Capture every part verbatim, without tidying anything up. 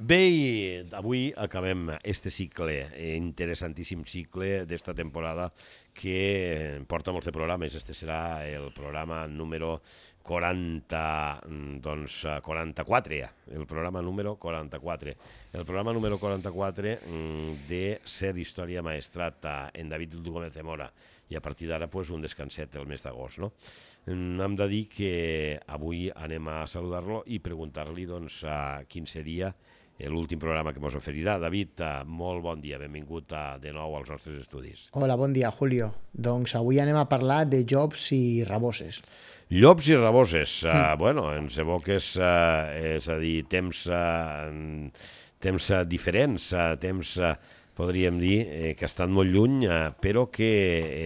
Bé, i avui acabem este cicle, interessantíssim cicle d'esta temporada que porta molts de programes. Este serà el programa número quaranta, doncs, quaranta-quatre, el programa número quaranta-quatre. El programa número quaranta-quatre de Ser Història Maestrat en David Gómez de Mora. I a partir d'ara, pues, un descanset el mes d'agost, no? Hem de dir que avui anem a saludar-lo i preguntar-li, doncs, quin seria l'últim programa que ens oferirà. David, molt bon dia, benvingut de nou als nostres estudis. Hola, bon dia, Julio. Doncs avui anem a parlar de llops i raboses. Llops i raboses, uh, bueno, ens evoques, uh, és a dir, temps, uh, temps uh, diferents, uh, temps, uh, podríem dir, eh, que estan molt lluny, uh, però que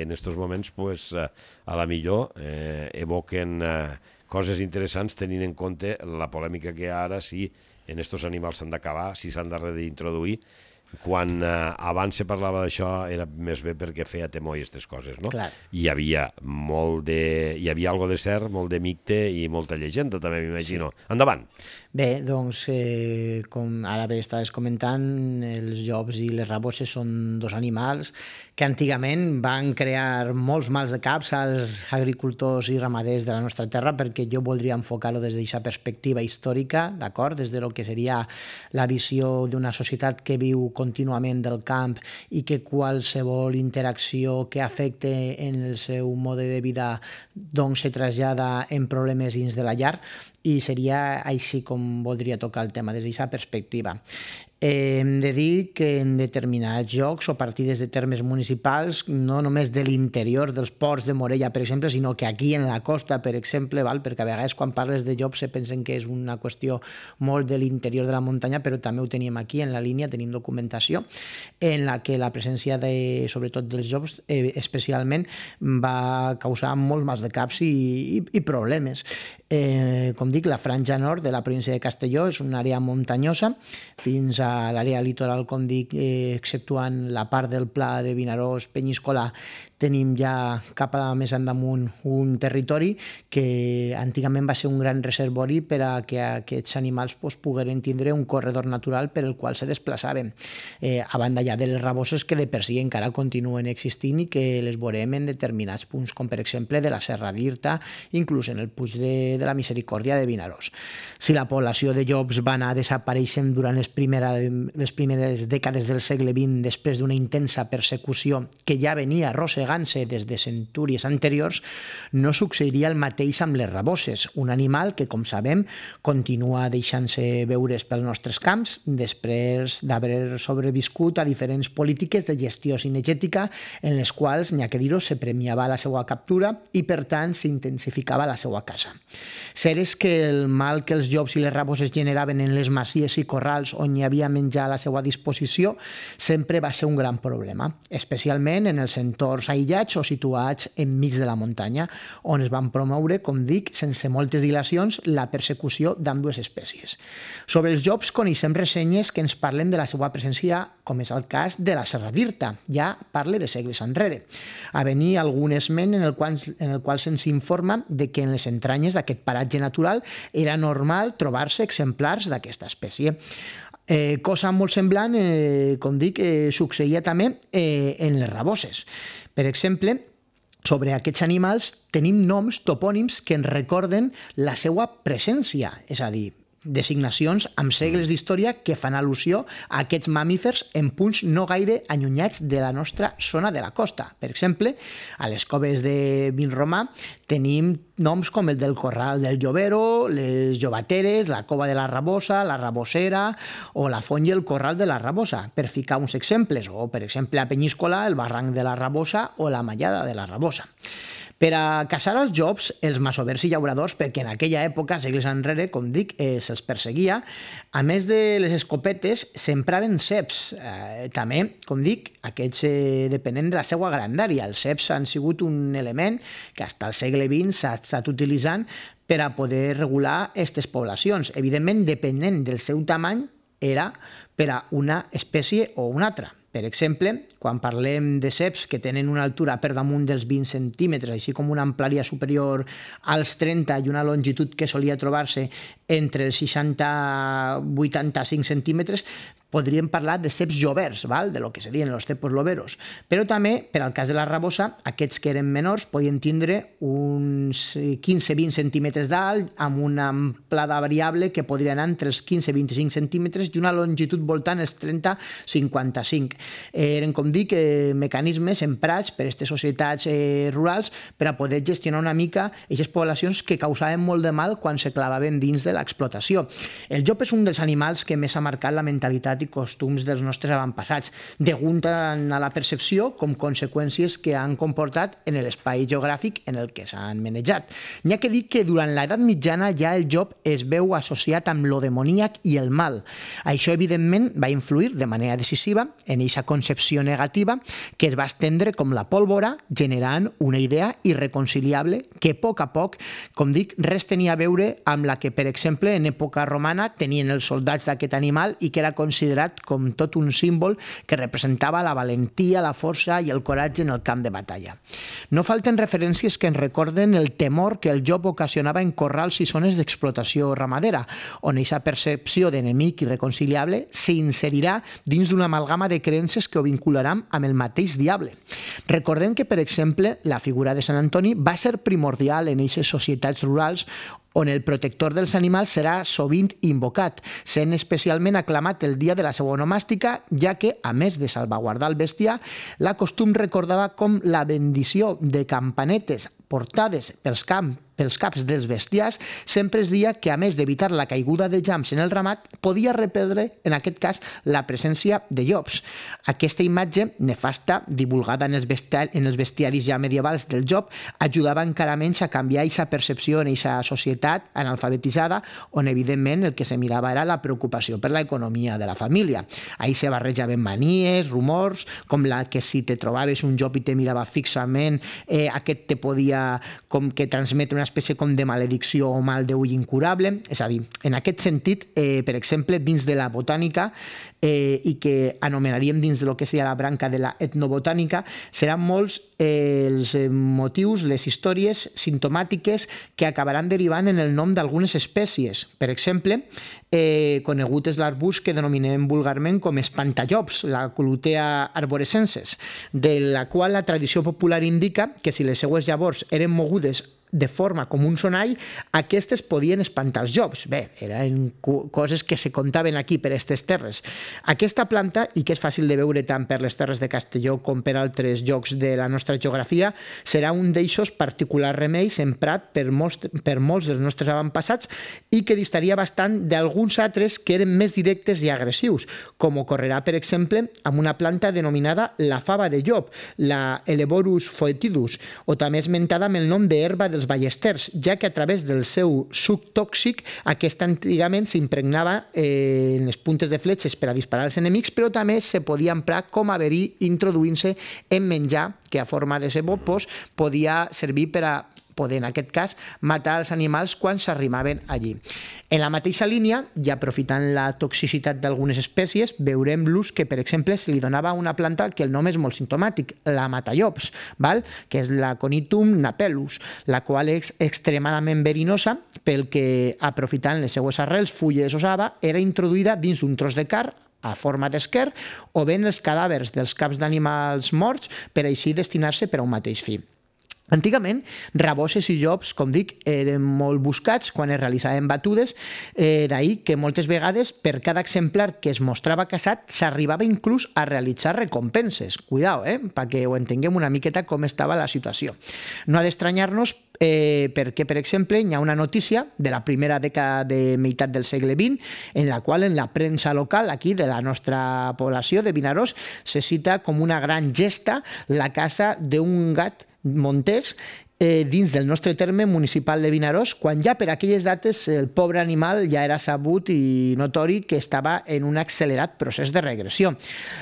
en aquests moments, pues, uh, a la millor, eh, evoquen uh, coses interessants tenint en compte la polèmica que ara sí en aquests animals s'han d'acabar, si s'han de reintroduir. Quan eh, abans se parlava d'això era més bé perquè feia temor i aquestes coses, no? Clar. Hi havia molt de... hi havia algo de cert, molt de mite i molta llegenda, també m'imagino. Sí. Endavant! Bé, doncs, eh, com ara bé estaves comentant, els llops i les raboses són dos animals que antigament van crear molts mals de caps als agricultors i ramaders de la nostra terra, perquè jo voldria enfocar-ho des d'aquesta perspectiva històrica, d'acord? Des de lo que seria la visió d'una societat que viu contínuament del camp i que qualsevol interacció que afecte en el seu mode de vida doncs se trasllada en problemes dins de la llar, i seria així com voldria tocar el tema, des d'aquesta perspectiva. Eh, hem de dir que en determinats jocs o partides de termes municipals, no només de l'interior dels ports de Morella, per exemple, sinó que aquí en la costa, per exemple, val? Perquè a vegades quan parles de llops se pensen que és una qüestió molt de l'interior de la muntanya, però també ho tenim aquí en la línia, tenim documentació en la que la presència de, sobretot dels llops, eh, especialment, va causar molts mals de caps i, i, i problemes. Eh, com dic, la franja nord de la província de Castelló és una àrea muntanyosa fins a l'àrea litoral, com dic, eh, exceptuant la part del pla de Vinaròs, Penyíscola, tenim ja cap a més endamunt un territori que antigament va ser un gran reservori per a que aquests animals pues, pogueren tindre un corredor natural per el qual se desplaçaven. Eh, a banda ja de les raboses que de per si encara continuen existint i que les veurem en determinats punts, com per exemple de la Serra d'Irta, inclús en el Puig de, de la Misericòrdia de Vinaròs. Si la població de llops va anar desapareixent durant les, primera, les primeres dècades del segle vint, després d'una intensa persecució que ja venia arrossegant des de centúries anteriors, no succeiria el mateix amb les raboses, un animal que, com sabem, continua deixant-se veure's pels nostres camps després d'haver sobreviscut a diferents polítiques de gestió cinegètica en les quals, n'hi ha que dir-ho, se premiava la seva captura i, per tant, s'intensificava la seva caça. Cert és que el mal que els llops i les raboses generaven en les masies i corrals on hi havia menjar a la seva disposició sempre va ser un gran problema, especialment en els entorns aïllats o situats enmig de la muntanya, on es van promoure, com dic, sense moltes dilacions, la persecució d'ambdues espècies. Sobre els llops coneixem ressenyes que ens parlen de la seva presència, com és el cas de la Serra d'Irta, ja parle de segles enrere. A venir algun esment en el qual, en el qual se'ns informa de que en les entranyes d'aquest paratge natural era normal trobar-se exemplars d'aquesta espècie. Eh, cosa molt semblant, eh, com dic, eh, succeïa també eh, en les raboses. Per exemple, sobre aquests animals tenim noms, topònims, que ens recorden la seva presència, és a dir, designacions amb segles d'història que fan al·lusió a aquests mamífers en punts no gaire allunyats de la nostra zona de la costa. Per exemple, a les coves de Vinromà tenim noms com el del Corral del Llovero, les Llobateres, la Cova de la Rabosa, la Rabosera o la Font i el Corral de la Rabosa, per ficar uns exemples, o per exemple a Penyíscola, el Barranc de la Rabosa o la Mallada de la Rabosa. Per a caçar els llops, els masovers i llauradors, perquè en aquella època, segles enrere, com dic, eh, se'ls perseguia, a més de les escopetes, s'empraven ceps. Eh, també, com dic, aquests eh, depenent de la seva grandària. Els ceps han sigut un element que fins al segle vint s'ha estat utilitzant per a poder regular aquestes poblacions. Evidentment, depenent del seu tamany, era per a una espècie o una altra. Per exemple, quan parlem de ceps que tenen una altura per damunt dels vint centímetres, així com una amplària superior als trenta i una longitud que solia trobar-se entre els seixanta i vuitanta-cinc centímetres, podríem parlar de ceps joverts, val? De lo que se diuen els cepos loberos. Però també, per al cas de la rabosa, aquests que eren menors podien tindre uns quinze a vint centímetres d'alt, amb una amplada variable que podria anar entre els quinze a vint-i-cinc centímetres i una longitud voltant els trenta a cinquanta-cinc. Eren, com dic, mecanismes emprats per aquestes societats rurals per a poder gestionar una mica aquestes poblacions que causaven molt de mal quan se clavaven dins de l'explotació. El llop és un dels animals que més ha marcat la mentalitat i costums dels nostres avantpassats, degut a la percepció com conseqüències que han comportat en l'espai geogràfic en el que s'han manejat. N'hi ha que dir que durant l'edat mitjana ja el llop es veu associat amb lo demoníac i el mal. Això, evidentment, va influir de manera decisiva en aquesta concepció negativa que es va estendre com la pólvora, generant una idea irreconciliable que a poc a poc, com dic, res tenia a veure amb la que, per exemple, en època romana tenien els soldats d'aquest animal i que era considerat com tot un símbol que representava la valentia, la força i el coratge en el camp de batalla. No falten referències que ens recorden el temor que el llop ocasionava en corrals i zones d'explotació ramadera, on aquesta percepció d'enemic irreconciliable s'inserirà dins d'una amalgama de creences que ho vincularan amb el mateix diable. Recordem que, per exemple, la figura de Sant Antoni va ser primordial en aquestes societats rurals on el protector dels animals serà sovint invocat, sent especialment aclamat el dia de la seva onomàstica, ja que, a més de salvaguardar el bestiar, la costum recordava com la bendició de campanetes portades pels camps pels caps dels bestiars, sempre es deia que, a més d'evitar la caiguda de llamps en el ramat, podia reperdre, en aquest cas, la presència de llops. Aquesta imatge nefasta, divulgada en els, bestiar, en els bestiaris ja medievals del llop, ajudava encara menys a canviar aquesta percepció en aquesta societat analfabetitzada, on, evidentment, el que se mirava era la preocupació per l'economia de la família. Ahí se barrejaven manies, rumors, com la que si te trobaves un llop i te mirava fixament, eh, aquest te podia com que transmetre una espècie com de maledicció o mal d'ull incurable. És a dir, en aquest sentit, eh, per exemple, dins de la botànica, eh, i que anomenaríem dins de lo que seria la branca de la etnobotànica, seran molts eh, els motius, les històries simptomàtiques que acabaran derivant en el nom d'algunes espècies. Per exemple, eh, conegut és l'arbust que denominem vulgarment com espantallops, la Colutea arborescenses, de la qual la tradició popular indica que si les seues llavors eren mogudes de forma com un sonall, aquestes podien espantar els llops. Bé, eren coses que se contaven aquí per aquestes terres. Aquesta planta, i que és fàcil de veure tant per les terres de Castelló com per altres llocs de la nostra geografia, serà un d'eixos particulars remeis emprat per molts, per molts dels nostres avantpassats i que distaria bastant d'alguns altres que eren més directes i agressius, com ocorrerà, per exemple, amb una planta denominada la fava de llop, la Eleborus foetidus, o també esmentada amb el nom d'herba dels ballesters, ja que a través del seu suc tòxic aquesta antigament s'impregnava eh, en les puntes de fletxes per a disparar als enemics, però també se podia emprar com a verí introduint-se en menjar que a forma de cebó pues, podia servir per a poder, en aquest cas, matar els animals quan s'arrimaven allí. En la mateixa línia, i aprofitant la toxicitat d'algunes espècies, veurem l'ús que, per exemple, se li donava a una planta que el nom és molt simptomàtic, la matallops, val? Que és la Conitum napellus, la qual és extremadament verinosa pel que, aprofitant les seues arrels, fulles o saba, era introduïda dins d'un tros de carn a forma d'esquer o bé en els cadàvers dels caps d'animals morts per així destinar-se per a un mateix fi. Antigament, raboses i llops, com dic, eren molt buscats quan es realitzaven batudes, eh, d'ahir que moltes vegades per cada exemplar que es mostrava caçat s'arribava inclús a realitzar recompenses. Cuidao, eh? Perquè ho entenguem una miqueta com estava la situació. No ha d'estranyar-nos eh, perquè, per exemple, hi ha una notícia de la primera dècada de meitat del segle vint en la qual en la premsa local aquí de la nostra població de Vinaròs se cita com una gran gesta la caça d'un gat montés eh, dins del nostre terme municipal de Vinaròs, quan ja per aquelles dates el pobre animal ja era sabut i notori que estava en un accelerat procés de regressió.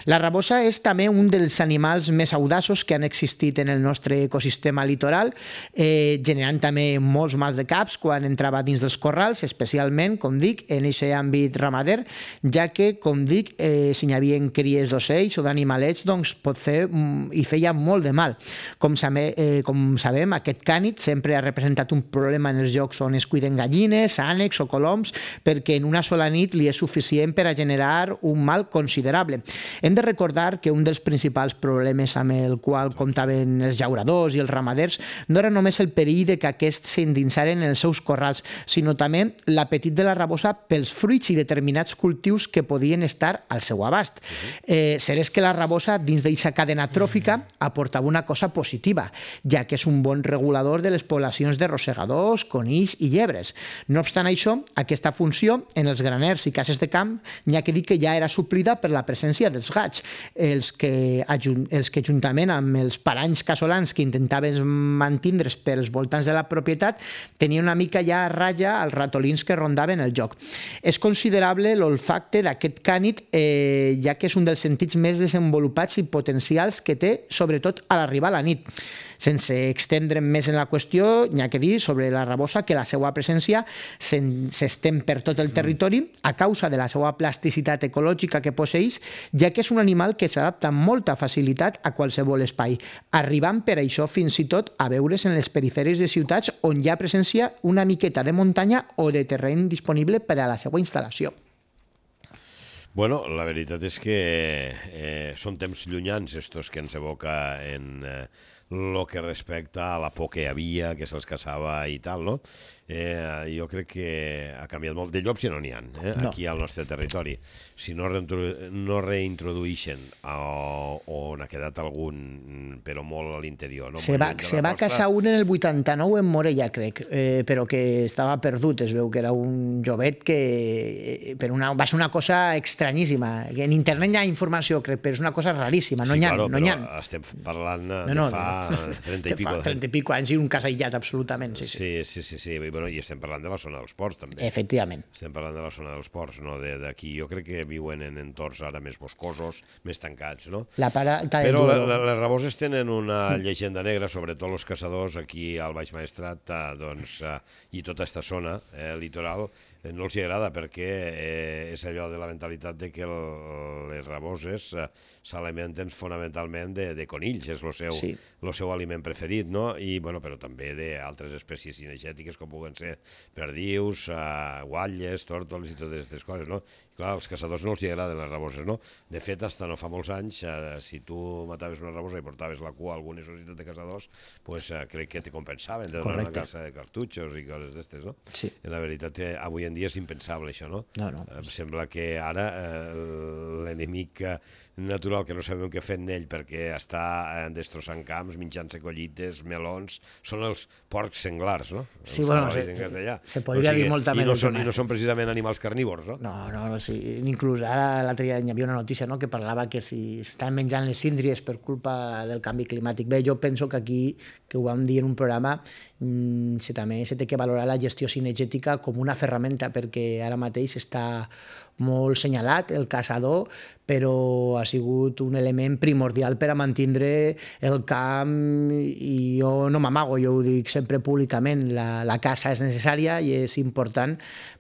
La rabosa és també un dels animals més audaços que han existit en el nostre ecosistema litoral, eh, generant també molts mals de caps quan entrava dins dels corrals, especialment, com dic, en aquest àmbit ramader, ja que, com dic, eh, si hi havia cries d'ocells o d'animalets, doncs pot fer i feia molt de mal. Com, sabe, eh, com sabem, aquest cànid sempre ha representat un problema en els llocs on es cuiden gallines, ànecs o coloms, perquè en una sola nit li és suficient per a generar un mal considerable. Hem de recordar que un dels principals problemes amb el qual comptaven els llauradors i els ramaders no era només el perill de que aquests s'endinsaren en els seus corrals, sinó també l'apetit de la rabosa pels fruits i determinats cultius que podien estar al seu abast. Eh, cert és que la rabosa, dins d'aquesta cadena tròfica, aportava una cosa positiva, ja que és un bon regulador de les poblacions de rosegadors, conills i llebres. No obstant això, aquesta funció en els graners i cases de camp n'hi ha que dir que ja era suplida per la presència dels gats, els que, els que juntament amb els paranys casolans que intentaven mantindre's pels voltants de la propietat tenien una mica ja a ratlla els ratolins que rondaven el joc. És considerable l'olfacte d'aquest cànid, eh, ja que és un dels sentits més desenvolupats i potencials que té, sobretot a l'arribar a la nit. Sense extendre'm més en la qüestió, n'hi ha que dir sobre la rabosa que la seva presència s'estén per tot el territori a causa de la seva plasticitat ecològica que posseix, ja que és un animal que s'adapta amb molta facilitat a qualsevol espai, arribant per això fins i tot a veure's en les perifèries de ciutats on hi ha presència una miqueta de muntanya o de terreny disponible per a la seva instal·lació. Bueno, la veritat és que eh, són temps llunyans estos que ens evoca en eh, lo que respecta a la por que hi havia, que se'ls caçava i tal, no? Eh, jo crec que ha canviat molt. De llops ja no n'hi ha, eh, no. Aquí al nostre territori. Si no, no reintrodueixen o, o n'ha quedat algun, però molt a l'interior. No? Se va, se va costa... caçar un en el vuitanta-nou en Morella, crec, eh, però que estava perdut. Es veu que era un jovet que... Per una, va ser una cosa estranyíssima. En internet hi ha informació, crec, però és una cosa raríssima. No sí, hi ha, claro, no però ha. Estem parlant de no, no, fa no. trenta i pico. trenta i pico anys i un cas aïllat, absolutament. Sí, sí. Sí, sí, sí, sí. Bueno, i estem parlant de la zona dels ports, també. Efectivament. Estem parlant de la zona dels ports, no d'aquí. Jo crec que viuen en entorns ara més boscosos, més tancats, no? La para... Però la, la, les raboses tenen una llegenda negra, sobretot els caçadors aquí al Baix Maestrat, eh, doncs, eh, i tota aquesta zona eh, litoral, eh, no els hi agrada perquè eh, és allò de la mentalitat de que el, les raboses eh, s'alimenten fonamentalment de, de conills, és el seu, sí. el seu aliment preferit, no? I, bueno, però també d'altres espècies cinegètiques com puguen ser perdius, uh, guatlles, tòrtols i totes aquestes coses, no? I clar, als caçadors no els hi agraden les raboses, no? De fet, fins no fa molts anys, uh, si tu mataves una rabosa i portaves la cua a alguna societat de caçadors, pues, uh, crec que te compensaven de donar una calça de cartutxos i coses d'estes, no? Sí. I la veritat, eh, avui en dia és impensable això, no? No, no. Em sembla que ara eh, l'enemic natural que no sabem què fer en ell perquè està eh, destrossant camps, menjant-se collites, melons, són els porcs senglars, no? Els sí, bueno, se, se, se podria o sigui, dir molta i no són, I no són precisament animals carnívors, no? No, no, sí, inclús ara l'altre dia hi havia una notícia, no?, que parlava que si estan menjant les síndries per culpa del canvi climàtic. Bé, jo penso que aquí, que ho vam dir en un programa, mmm, se, també se té que valorar la gestió cinegètica com una ferramenta, perquè ara mateix està molt senyalat el caçador, però ha sigut un element primordial per a mantindre el camp, i jo no m'amago, jo ho dic sempre públicament, la, la caça és necessària i és important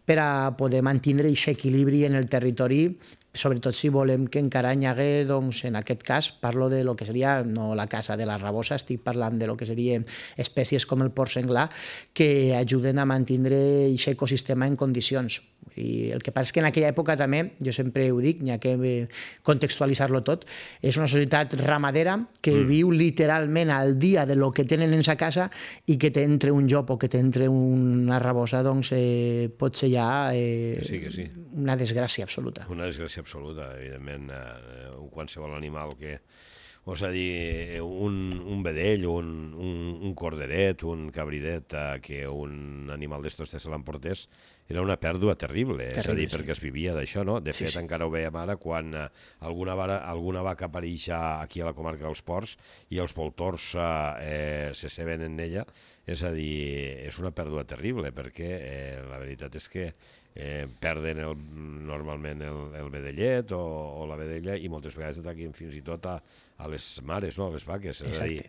per a poder mantindre aquest equilibri en el territori, sobretot si volem que encara hi hagués, doncs, en aquest cas, parlo de lo que seria, no la caça de la rabosa, estic parlant de lo que serien espècies com el porc senglar, que ajuden a mantindre aquest ecosistema en condicions. I el que passa és que en aquella època també, jo sempre ho dic, n'hi ha que contextualitzar-lo tot, és una societat ramadera que mm. viu literalment al dia de lo que tenen en sa casa, i que t'entre un llop o que t'entre una rabosa, doncs eh, pot ser ja eh, sí, sí. una desgràcia absoluta. Una desgràcia absoluta, evidentment. Eh, qualsevol animal que... O és a dir, un, un vedell, un, un, un corderet, un cabridet, eh, que un animal d'estos se l'emportés, era una pèrdua terrible, terrible, és a dir, sí. perquè es vivia d'això, no? De fet, sí, sí. encara ho veiem ara quan eh, alguna, vara, alguna vaca apareix aquí a la comarca dels Ports i els voltors eh, se ceben en ella, és a dir, és una pèrdua terrible, perquè eh, la veritat és que eh, perden el, normalment el, el vedellet o, o la vedella i moltes vegades ataquen fins i tot a, a les mares, no? A les vaques. És a dir,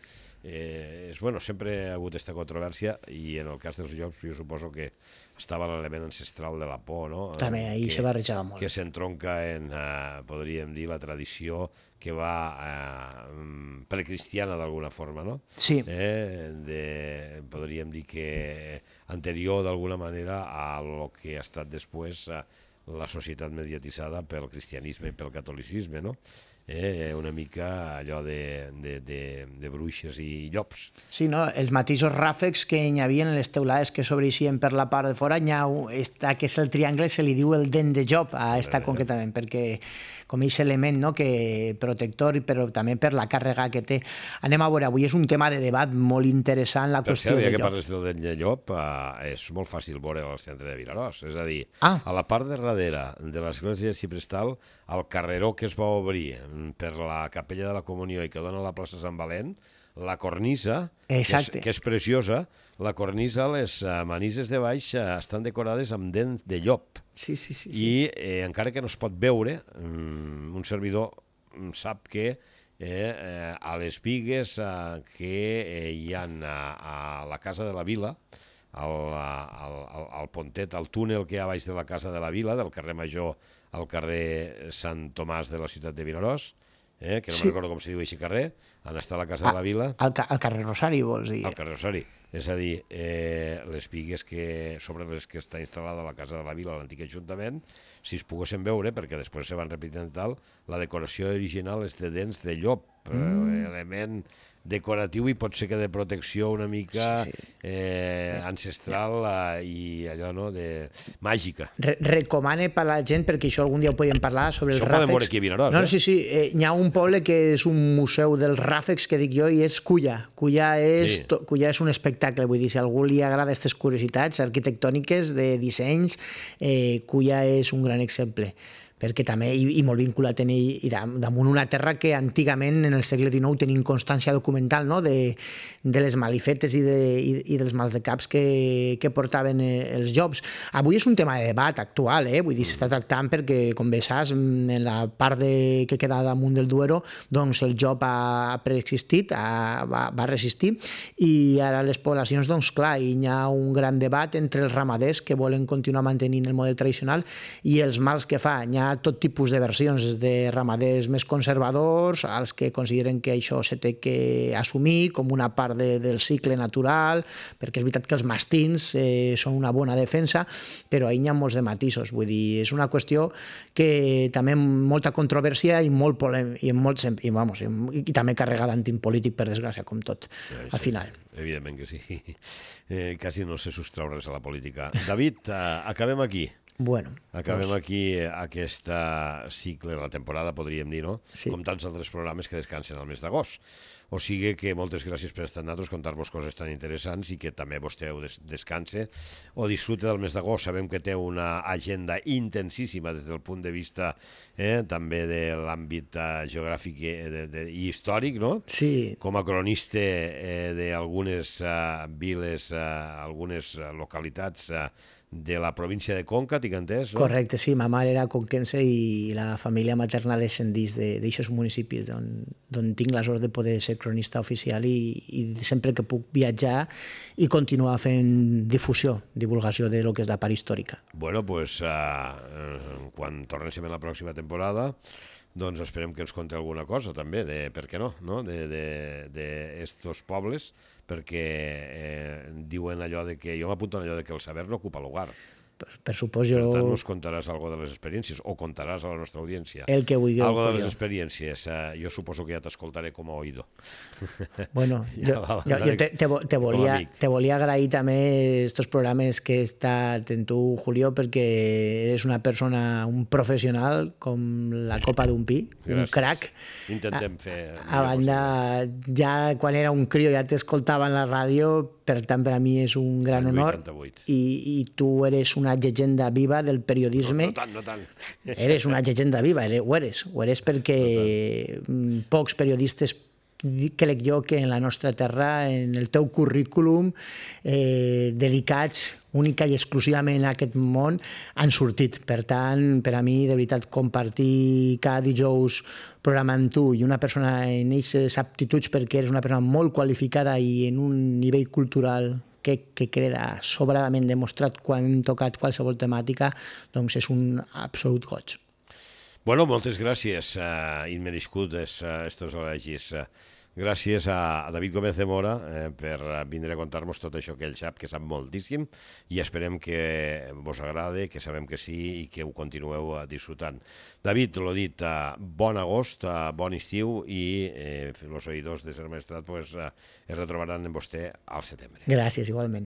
eh, és, bueno, sempre ha hagut aquesta controvèrsia i en el cas dels llops jo suposo que estava l'element ancestral de la por, no? També, ahir se barrejava molt. Que s'entronca en, eh, podríem dir, la tradició que va eh, precristiana d'alguna forma, no? Sí. Eh, de, podríem dir que anterior d'alguna manera a lo que ha estat després eh, la societat mediatitzada pel cristianisme i pel catolicisme, no? Eh, una mica allò de, de, de, de bruixes i llops. Sí, no? Els mateixos ràfecs que hi havia en les teulades que s'obreixien per la part de fora, hi ha un, esta, que és el triangle, se li diu el dent de llop a esta eh. concretament, perquè com aquest element, no?, que protector, però també per la càrrega que té. Anem a veure, avui és un tema de debat molt interessant, la per qüestió cert, de ja que llop. parles del dent de llop, eh, és molt fàcil veure al centre de Vinaròs, és a dir, ah. a la part de darrere de l'església de Ciprestal, al carreró que es va obrir per la capella de la Comunió i que dona a la plaça Sant Valent, la cornisa, que és, que és preciosa, la cornisa, les uh, manises de baix uh, estan decorades amb dents de llop. Sí, sí, sí. I eh, encara que no es pot veure, um, un servidor sap que eh, eh, a les bigues eh, que eh, hi ha a, a la Casa de la Vila, al, al, al, al pontet, al túnel que hi ha baix de la Casa de la Vila, del carrer Major al carrer Sant Tomàs de la ciutat de Vinaròs, eh, que no sí. me'n recordo com se diu així carrer, on està la Casa ah, de la Vila. Al, al carrer Rosari, vols dir? Al carrer Rosari. És a dir, eh, les bigues que, sobre les que està instal·lada la Casa de la Vila, l'antic Ajuntament, si es poguessin veure, perquè després se van repetint tal, la decoració original és de dents de llop, mm. eh, element decoratiu i pot ser que de protecció una mica sí, sí. Eh, ancestral eh, i allò, no?, de màgica. Re recomane per la gent, perquè això algun dia ho podem parlar, sobre els això ràfecs. Això podem veure aquí a Vinaròs. No, eh? sí, sí, eh, hi ha un poble que és un museu dels ràfecs, que dic jo, i és Culla. Culla és, sí. Culla és un espectacle, vull dir, si a algú li agrada aquestes curiositats arquitectòniques de dissenys, eh, Culla és un gran exemple. Perquè també, i, i molt vinculat en ell, i damunt una terra que antigament, en el segle dinou, tenim constància documental, no?, de, de les malifetes i, de, i, i dels mals de caps que, que portaven els llops. Avui és un tema de debat actual, eh? Vull dir, s'està tractant perquè, com bé saps, en la part de, que queda damunt del Duero, doncs el llop ha preexistit, ha, va, va resistir, i ara les poblacions, doncs clar, hi ha un gran debat entre els ramaders que volen continuar mantenint el model tradicional i els mals que fa. Hi ha tot tipus de versions, des de ramaders més conservadors, als que consideren que això se té que assumir com una part de, del cicle natural, perquè és veritat que els mastins eh, són una bona defensa, però ahir hi ha molts de matisos. Vull dir, és una qüestió que també molta controvèrsia i molt polèmica, i, molt, i, vamos, i, i també carregada antipolític, per desgràcia, com tot, ja, al final. Evidentment que sí. Eh, quasi no sé sostrau res a la política. David, eh, acabem aquí. Bueno, Acabem doncs... aquí aquest cicle, la temporada, podríem dir, no? Sí. Com tants altres programes que descansen al mes d'agost. O sigui que moltes gràcies per estar amb nosaltres, contar-vos coses tan interessants i que també vostè des descanse o disfrute del mes d'agost. Sabem que té una agenda intensíssima des del punt de vista eh, també de l'àmbit eh, geogràfic i, de, de, i històric, no? Sí. Com a cronista eh, d'algunes eh, viles, eh, algunes localitats eh, de la província de Conca, tinc entès? No? Correcte, sí. Ma mare era conquense i la família materna descendís d'aixòs municipis d'on tinc la sort de poder ser cronista oficial i, i sempre que puc viatjar i continuar fent difusió, divulgació de lo que és la part històrica. Bueno, doncs, uh, quan tornem la pròxima temporada, doncs esperem que ens conti alguna cosa també, de, per què no, no? d'estos pobles, perquè eh, diuen allò de que, jo m'apunto en allò de que el saber no ocupa lugar. Per supòs jo... Per tant, nos contaràs algo de les experiències, o contaràs a la nostra audiència. El que vulgui. Algo de les experiències. Uh, jo suposo que ja t'escoltaré com a oïdor. Bueno, jo, jo, jo te, te, te, volia, te volia agrair també estos programes que he estat en tu, Julio, perquè eres una persona, un professional com la copa d'un pi, gràcies. Un crac. Intentem fer... A, a banda, ja quan era un crio ja t'escoltava en la ràdio, per tant, per a mi és un gran honor. I, i tu eres una llegenda viva del periodisme. No, no tant, no tant. Eres una llegenda viva, eres, ho eres. Ho eres perquè no pocs periodistes crec jo que en la nostra terra, en el teu currículum, eh, dedicats única i exclusivament a aquest món, han sortit. Per tant, per a mi, de veritat, compartir cada dijous programa amb tu i una persona en aquestes aptituds, perquè eres una persona molt qualificada i en un nivell cultural que, que queda sobradament demostrat quan hem tocat qualsevol temàtica, doncs és un absolut goig. Bueno, moltes gràcies, uh, immerescudes, uh, estos elogis. Uh, gràcies a, a David Gómez de Mora eh, per vindre a contar-nos tot això que ell sap, que sap moltíssim, i esperem que vos agrade, que sabem que sí, i que ho continueu uh, disfrutant. David, l'ho dit, uh, bon agost, uh, bon estiu, i eh, els oïdors de Ser Maestrat pues, uh, es retrobaran en vostè al setembre. Gràcies, igualment.